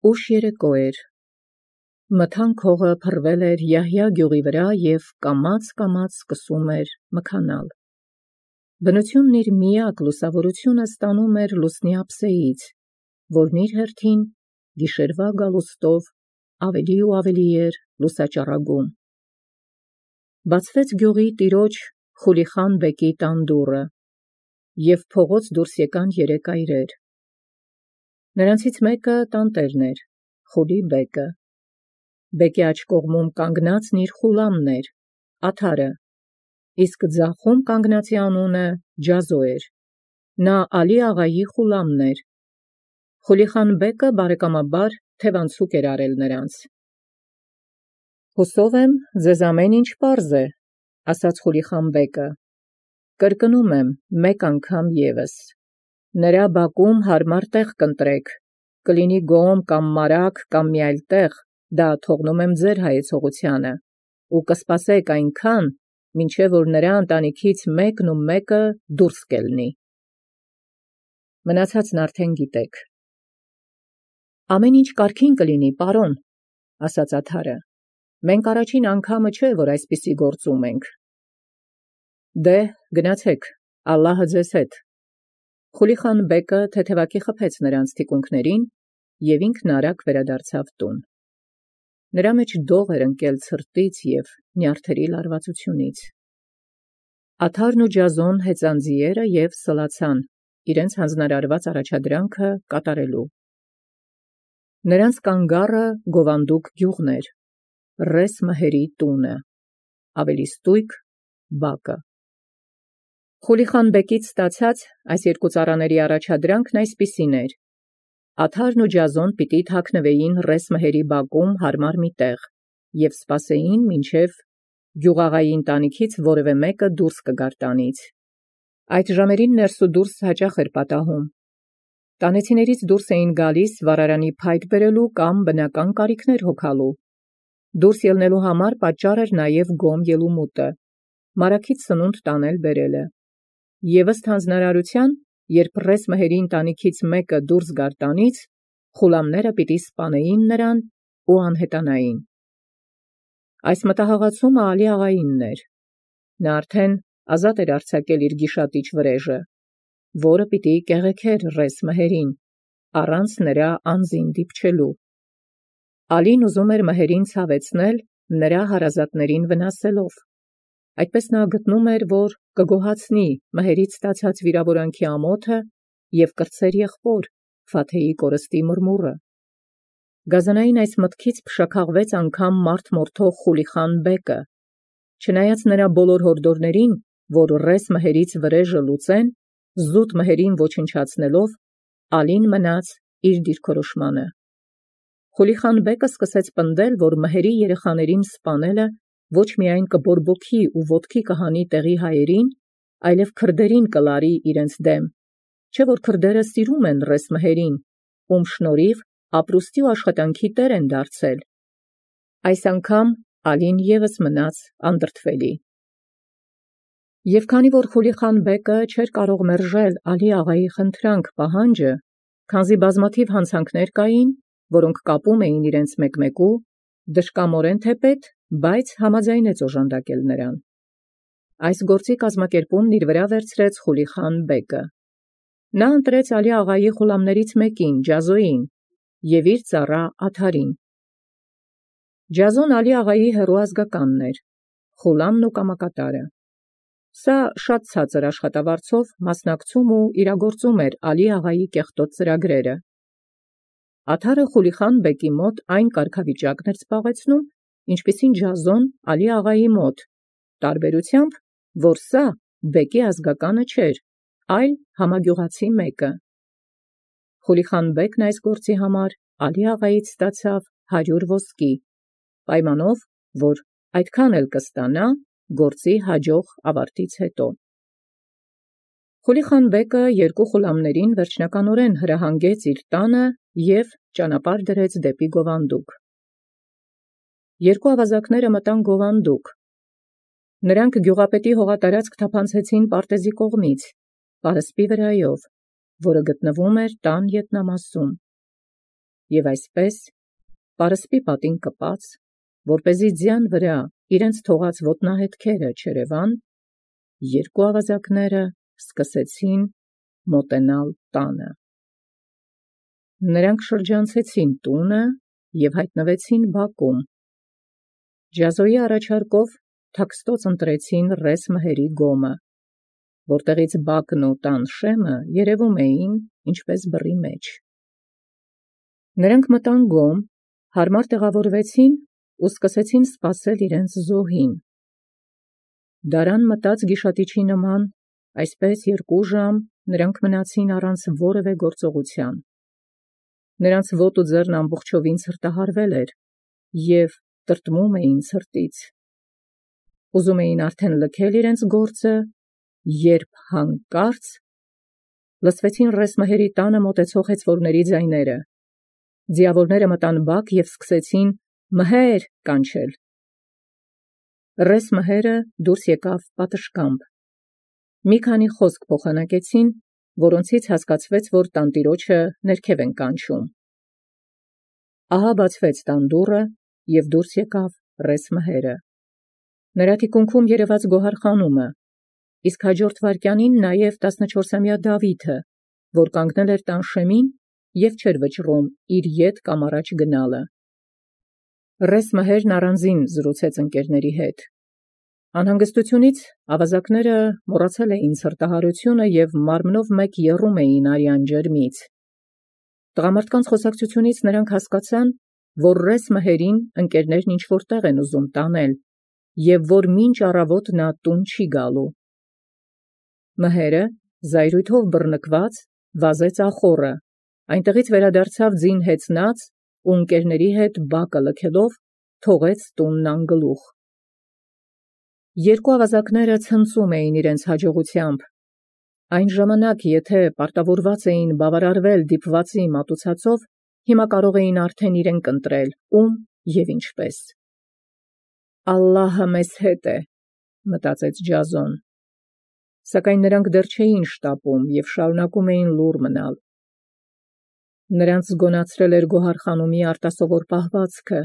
Ուշ երեկո էր։ Մթան քողը փռվել էր Յահյա գյուղի վրա և կամաց սկսում էր մքանալ։ Բնութիւնն իր միակ լուսաւորութիւնը ստանում էր լուսնի ափսեից, որն իր հերթին գիշերվա գալուստով ավելի ու ավելի էր լուսաճառագում։ Բացվեց գյուղի տիրոջ Խուլիխան բեկի տան դուռը, և փողոց դուրս եկան երեք այրեր։ Նրանցից մեկը տանտերն էր, Խուլի բեկը։ Բեկի աջ կողմում կանգնածն իր խուլամն էր, Աթարը, իսկ ձախում կանգնածի անունը Ջազո էր, նա Ալի աղայի խուլամն էր։ Խուլիխան բեկը բարեկամաբար թևանցուկ էր արել նրանց։ «Հուսով եմ, ձեզ ամեն ինչ պարզ է», ասաց Խուլիխան բեկը։ «Կրկնում եմ մեկ անգամ ևս. նրա բակում հարմար տեղ կընտրեք, կլինի գոմ կամ մարագ կամ մի այլ տեղ, դա թողնում եմ ձեր հայեցողությանը, ու կսպասեք այնքան, մինչև որ նրա ընտանիքից մեկն ու մեկը դուրս կելնի։ Մնացածն արդեն գիտեք»։ «Ամեն ինչ կարգին կլինի, պարոն», ասաց Աթարը։ «Մենք առաջին անգամը չէ, որ այսպիսի գործ ունենք»։ «Դե, գնացեք, ալլահը ձեզ հետ»։ Խուլիխան բեկը թեթևակի խփեց նրանց թիկունքներին, և ինքն արագ վերադարձավ տուն։ Նրա մեջ դող էր ընկել ցրտից և նյարդերի լարվածությունից։ Աթարն ու Ջազոն հեծան ձիերը և սլացան, իրենց հանձնարարված առաջադրանքը կատարելու։ Նրանց կանգառը Գովանդուկ գյուղն էր, Ռես Մհերի տունը, ավելի ստույգ բակը։ Խուլիխան բեկից ստացած այս երկու ծառաների առաջադրանքն այսպիսին էր. Աթարն ու Ջազոն պիտի թաքնվեին Ռես Մհերի բակում հարմար մի տեղ և սպասեին, մինչև գյուղաղայի ընտանիքից որևէ մեկը դուրս կգար տանից։ Այդ ժամերին ներս ու դուրս հաճախ էր պատահում։ Տանեցիներից դուրս էին գալիս վառարանի փայտ բերելու կամ բնական կարիքներ հոգալու։ Դուրս ելնելու համար պատճառ էր նաև գոմ ելումուտը, մարաքից սնունդ տանել բերելը։ Եվ ըստ հանձնարարության, երբ Ռես Մհերի ընտանիքից մեկը դուրս գար տանից, խուլամները պիտի սպանեին նրան ու անհետանային։ Այս մտահաղացումը Ալի աղայինն էր։ Նա արդեն ազատ էր արձակել իր գիշատիչ վրեժը, որը պիտի կեղեքեր Ռես Մհերին, առանց նրա անձին դիպչելու։ Ալին ուզում էր Մհերին ցավեցնել, նրա հարազատներին վնասելով։ Այդպես նա գտնում էր, որ կգոհացնի Մհերից ստացած վիրավորանքի ամոթը և կրտսեր եղբոր Ֆաթեի կորստի մրմուրը։ Գազանային այս մտքից փշաքաղվեց անգամ մարդ մորթող Խուլիխան բեկը։ Չնայած նրա բոլոր հորդորներին, որ Ռես Մհերից վրեժը լուծեն, զուտ Մհերին ոչնչացնելով, Ալին մնաց իր դիրքորոշմանը։ Խուլիխան բեկը սկսեց պնդել, որ Մհերի երեխաներին սպանելը ոչ միայն կբորբոքի ու ոտքի կհանի տեղի հայերին, այլև քրդերին կլարի իրենց դեմ, չէ որ քրդերը սիրում են Ռես Մհերին, ում շնորհիվ ապրուստի ու աշխատանքի տեր են դարձել։ Այս անգամ Ալին ևս մնաց անդրդվելի։ Եվ քանի որ Խուլիխան բեկը չէր կարող մերժել Ալի աղայի խնդրանք պահանջը, քանզի բազմաթիվ հանցանքներ կային, որոնք կապում էին իրենց մեկմեկու, դժկամորեն թեպետ, բայց համաձայնեց օժանդակել նրան։ Այս գործի կազմակերպումն իր վրա վերցրեց Խուլիխան բեկը։ Նա ընտրեց Ալի աղայի խուլամներից մեկին, Ջազոյին, և իր ծառա Աթարին։ Ջազոն Ալի աղայի հեռու ազգականն էր, խուլամն ու կամակատարը։ Սա շատ ցածր աշխատավարձով մասնակցում ու իրագործում էր Ալի աղայի կեղտոտ ծրագրերը։ Աթարը Խուլիխան բեկի մոտ այն կարգավիճակն էր զբաղեցնում, ինչպիսին Ջազոն Ալի աղայի մոտ, տարբերությամբ, որ սա բեկի ազգականը չէր, այլ համագյուղացի մեկը։ Խուլիխան բեկն այս գործի համար Ալի աղայից ստացավ 100 ոսկի, պայմանով, որ այդքան էլ կստանա գործի հաջող ավարտից հետո։ Խուլիխան բեկը երկու խուլամներին վերջնականորեն հրահանգեց իր տանը և ճանապարհ դրեց դեպի Գովանդուկ։ Երկու ավազակները մտան Գովանդուկ։ Նրանք գյուղապետի հողատարածք թափանցեցին պարտեզի կողմից, պարսպի վրայով, որը գտնվում էր տան ետնամասում։ եւ այսպես, պարսպի պատին կպած, որպեսզի ձյան վրա իրենց թողած ոտնահետքերը չերևան, երկու ավազակները սկսեցին մոտենալ տանը։ Նրանք շրջանցեցին տունը եւ հայտնվեցին բակում։ Ջազոյի առաջարկով թաքստոց ընտրեցին ռես մհերի գոմը, որտեղից բակն ու տան շեմը երևում էին ինչպես բռի մեջ։ Նրանք մտան գոմ, հարմար տեղավորվեցին ու սկսեցին սպասել իրենց զոհին։ Դարան մտած գիշատիչի նման, այսպես 2 ժամ նրանք մնացին առանց որևէ գործողության։ Նրանց ոտը ձեռն ամբողջովին ցրտահարվել էր եւ տրտմում էին ցրտից։ Ուզում էին արդեն լքել իրենց գործը, երբ հանկարծ լսվեցին ռես մհերի տանը մոտեցող հեծվորների ձայները։ Ձիավորները մտան բակ եւ սկսեցին «Մհեր» կանչել։ Ռես մհերը դուրս եկավ պատշգամբ։ Մի քանի խոսք փոխանակեցին, որոնցից հասկացվեց, որ տանտիրոջը ներքև են կանչում։ Ահա բացվեց տան դուռը եւ դուրս եկավ ռես մհերը։ Նրա թիկունքում երևաց գոհարխանումը, իսկ հաջորդ վայրկյանին նաեւ 14-ամյա Դավիթը, որ կանգնել էր տան շեմին եւ չէր վճռում իր ետ կամ առաջ գնալը։ Ռես մհերն առանձին զրուցեց ընկերների հետ։ Անհանգստությունից ավազակները մոռացել էին ցրտահարությունը եւ մարմնով մեկ եռում էին արյան ջերմից։ Տղամարդկանց խոսակցությունից նրանք հասկացան, որ ռես մհերին ընկերներն ինչ-որ տեղ են ուզում տանել եւ որ մինչ առավոտ նա տուն չի գալու։ Մհերը, զայրույթով բռնկված, վազեց ախոռը, այնտեղից վերադարձավ ձին հեծնած ու ընկերների հետ բակը լքելով թողեց տունն անգլուխ։ Երկու ավազակները ցնծում էին իրենց հաջողությամբ։ Այն ժամանակ, եթե պարտավորված էին բավարարվել դիպվածի մատուցածով, հիմա կարող էին արդեն իրենք ընտրել ում եւ ինչպես։ «Ալլահը մեզ հետ է», մտածեց Ջազոն։ Սակայն նրանք դեռ չէին շտապում եւ շարունակում էին լուռ մնալ։ Նրանց զգոնացրել էր գոհարխանումի արտասովոր պահվածքը,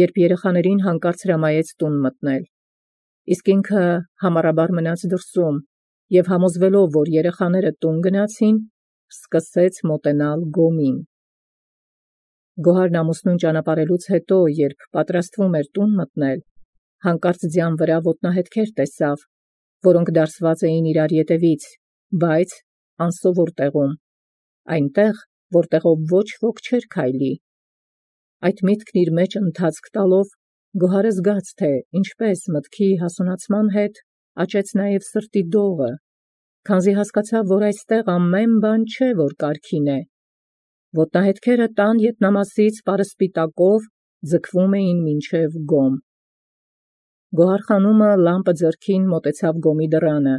երբ երեխաներին հանկարծ հրամայեց տուն մտնել։ Իսկ ինքը համառաբար մնաց դրսում եւ համոզվելով, որ երեխաները տուն գնացին, սկսեց մոտենալ գոմին։ Գոհարն ամուսնուն ճանապարհելուց հետո, երբ պատրաստվում էր տուն մտնել, հանկարծ ձյան վրա ոտնահետքեր տեսավ, որոնք դարսված էին իրար ետևից, բայց անսովոր տեղում, այնտեղ, որտեղով ոչ ոք չէր քայլի։ Այդ միտքն իր մեջ ընթացք տալով, Գոհարը զգաց, թե ինչպես մտքի հասունացման հետ աճեց նաև սրտի դողը, քանզի հասկացավ, որ այստեղ ամեն բան չէ, որ կարգին է։ Ոտնահետքերը տան ետնամասից պարսպիտակով ձգվում էին մինչև գոմ։ Գոհարխանումը լամպը ձեռքին մոտեցավ գոմի դռանը,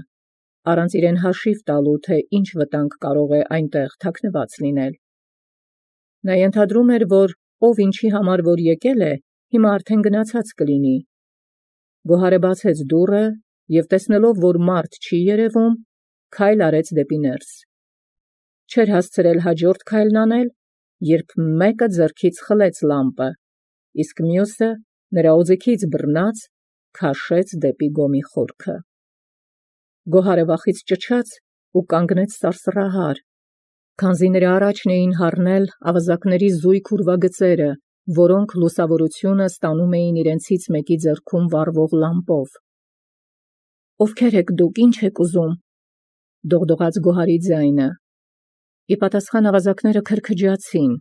առանց իրեն հաշիվ տալու, թե ինչ վտանգ կարող է այնտեղ թաքնված լինել։ Նա ենթադրում էր, որ ով ինչի համար որ եկել է, հիմա արդեն գնացած կլինի։ Գոհարը բացեց դուռը եւ տեսնելով, որ մարդ չի երևում, քայլ արեց դեպի ներս։ Չէր հասցրել հաջորդ քայլն անել, երբ մեկը ձեռքից խլեց լամպը, իսկ մյուսը նրա օձիքից բռնած քաշեց դեպի գոմի խորքը։ Գոհարը վախից ճչաց ու կանգնեց սարսռահար, քանզի նրա առաջն էին հառնել ավազակների զույգ ուրվագծերը, որոնք լուսավորությունը ստանում էին իրենցից մեկի ձեռքում վառվող լամպով։ «Ովքեր եք դուք, ինչ եք ուզում», դողդողաց Գոհարի ձայնը։ Ի պատասխան ավազակները քրքջացին։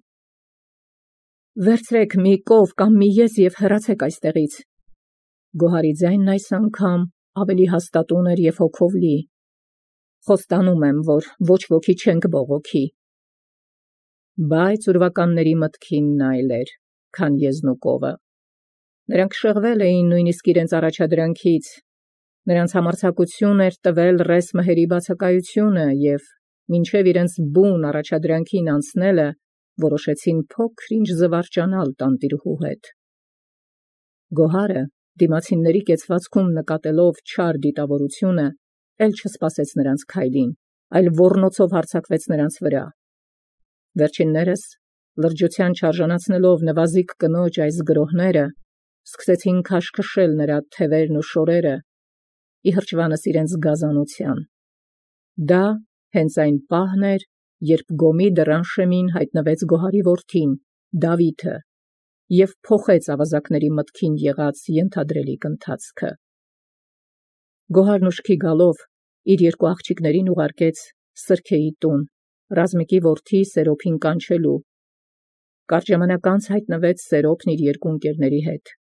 «Վերցրեք մի կով կամ մի ես եւ հեռացեք այստեղից»։ Գոհարի ձայնն այս անգամ ավելի հաստատուն էր եւ հոգով լի։ «Խոստանում եմ, որ ոչ ոքի չենք բողոքի»։ Բայց ուրվականների մտքինն այլ էր, քան եզնուկովը։ Նրանք շեղվել էին նույնիսկ իրենց առաջադրանքից։ Նրանց համարձակություն էր տվել ռես մհերի բացակայությունը եւ մինչև իրենց բուն առաջադրանքին անցնելը որոշեցին փոքր-ինչ զվարճանալ տանտիրուհու հետ։ Գոհարը, դիմացինների կեցվածքում նկատելով չար դիտավորությունը, էլ չսպասեց նրանց քայլին, այլ ոռնոցով հարձակվեց նրանց վրա։ Վերջիններս լրջության չարժանացնելով նվազիկ կնոջ այս գրոհները, սկսեցին քաշքշել նրա թևերն ու շորերը, ի հրճվանս իրենց գազանության։ Դա հենց այն պահն էր, երբ գոմի դռան շեմին հայտնվեց Գոհարի որդին, Դավիթը, և փոխեց ավազակների մտքին եղած ենթադրելիք ընթացքը։ Գոհարն ուշքի գալով իր երկու աղջիկներին ուղարկեց Սրքեի տուն, Ռազմիկի որդի Սերոփին կանչելու։ Կարճ ժամանակ անց հայտնվեց Սերոփն իր երկու ընկերների հետ։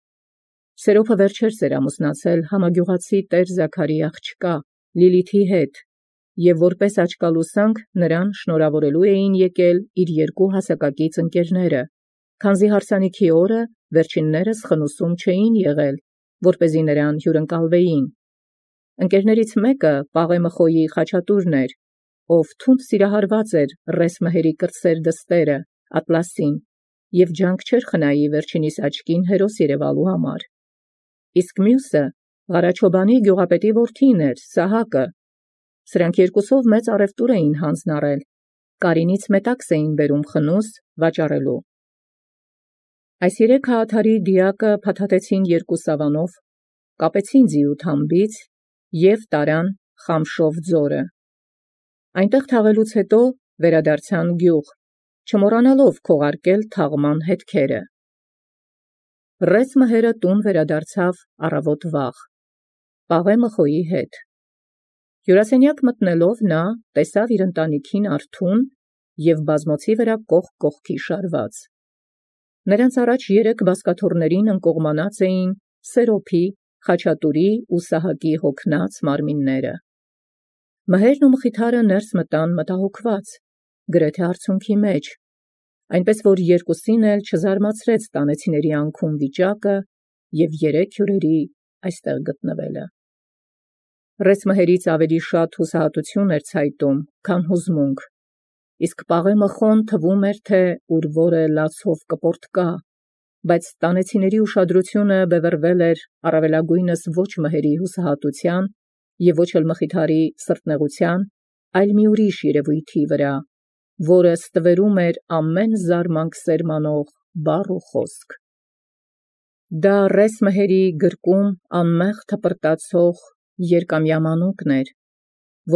Սերոփը վերջերս էր ամուսնացել համագյուղացի տեր Զաքարի աղջկա Լիլիթի հետ, և որպես աչկալուսանք նրան շնորհավորելու էին եկել իր երկու հասակակից ընկերները, քանզի հարսանիքի օրը վերջիններս խնուսում չէին եղել, որպեսզի նրան հյուրընկալվեին։ Ընկերներից մեկը Պաղեմըխոյի Խաչատուրն էր, ով թունդ սիրահարված էր Ռեսմհերի կրտսեր դստերը, Ատլասին, և ջանք չէր խնայի վերջինիս աչքին հերոս երևալու համար։ Իսկ մյուսը Ղարաչոբանի գյուղապետի որդին էր, Սահակը։ Սրանք երկուսով մեծ առևտուր էին հանձն առել, Կարինից մետաքս էին բերում խնուս վաճառելու։ Այս երեք հաղթարի դիակը փաթաթեցին երկու սավանով, կապեցին ձիու թամբից և տարան Խամշով ձորը։ Այնտեղ թաղելուց հետո վերադարձան գյուղ, չմոռանալով քողարկել թաղման հետքերը։ Ռեսմհերը տուն վերադարձավ առավոտ վաղ, Պաղեմըխոյի հետ։ Հյուրասենյակ մտնելով նա տեսավ իր ընտանիքին արթուն և բազմոցի վրա կողք կողքի շարված։ Նրանց առաջ երեք բազկաթոռներին ընկողմանած էին Սերոփի, Խաչատուրի ու Սահակի հոգնած մարմինները։ Մհերն ու Մխիթարը ներս մտան մտահոգված, գրեթե արցունքի մեջ, այնպես որ երկուսին էլ չզարմացրեց տանեցիների անքուն վիճակը և երեք հյուրերի այստեղ գտնվելը։ Ռեսմհերից ավելի շատ հուսահատություն էր ցայտում, քան հուզմունք, իսկ Պաղեմըխոն թվում էր, թե ուր որը լացով կպորտկա, բայց տանեցիների ուշադրությունը բևեռվել էր առավելագույնս ոչ մհերի հուսահատության և ոչ էլ Մխիթարի սրտնեղության, այլ մի ուրիշ երևույթի վրա, որը ստվերում էր ամեն զարմանք սերմանող բառ ու խոսք։ Դա Ռեսմհերի գրկում անմեղ թպրտացող երկամյա մանուկն էր,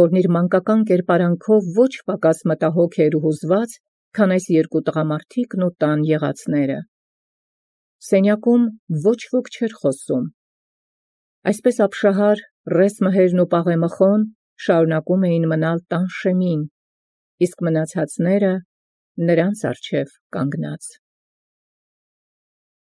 որն իր մանկական կերպարանքով ոչ պակաս մտահոգ էր ու հուզված, քան այս երկու տղամարդիկն ու տան եղածները։ Սենյակում ոչ ոք չէր խոսում։ Այսպես ապշահար Ռեսմհերն ու Պաղեմըխոն շարունակում էին մնալ տան շեմին, իսկ մնացածները նրանց առջև կանգնած։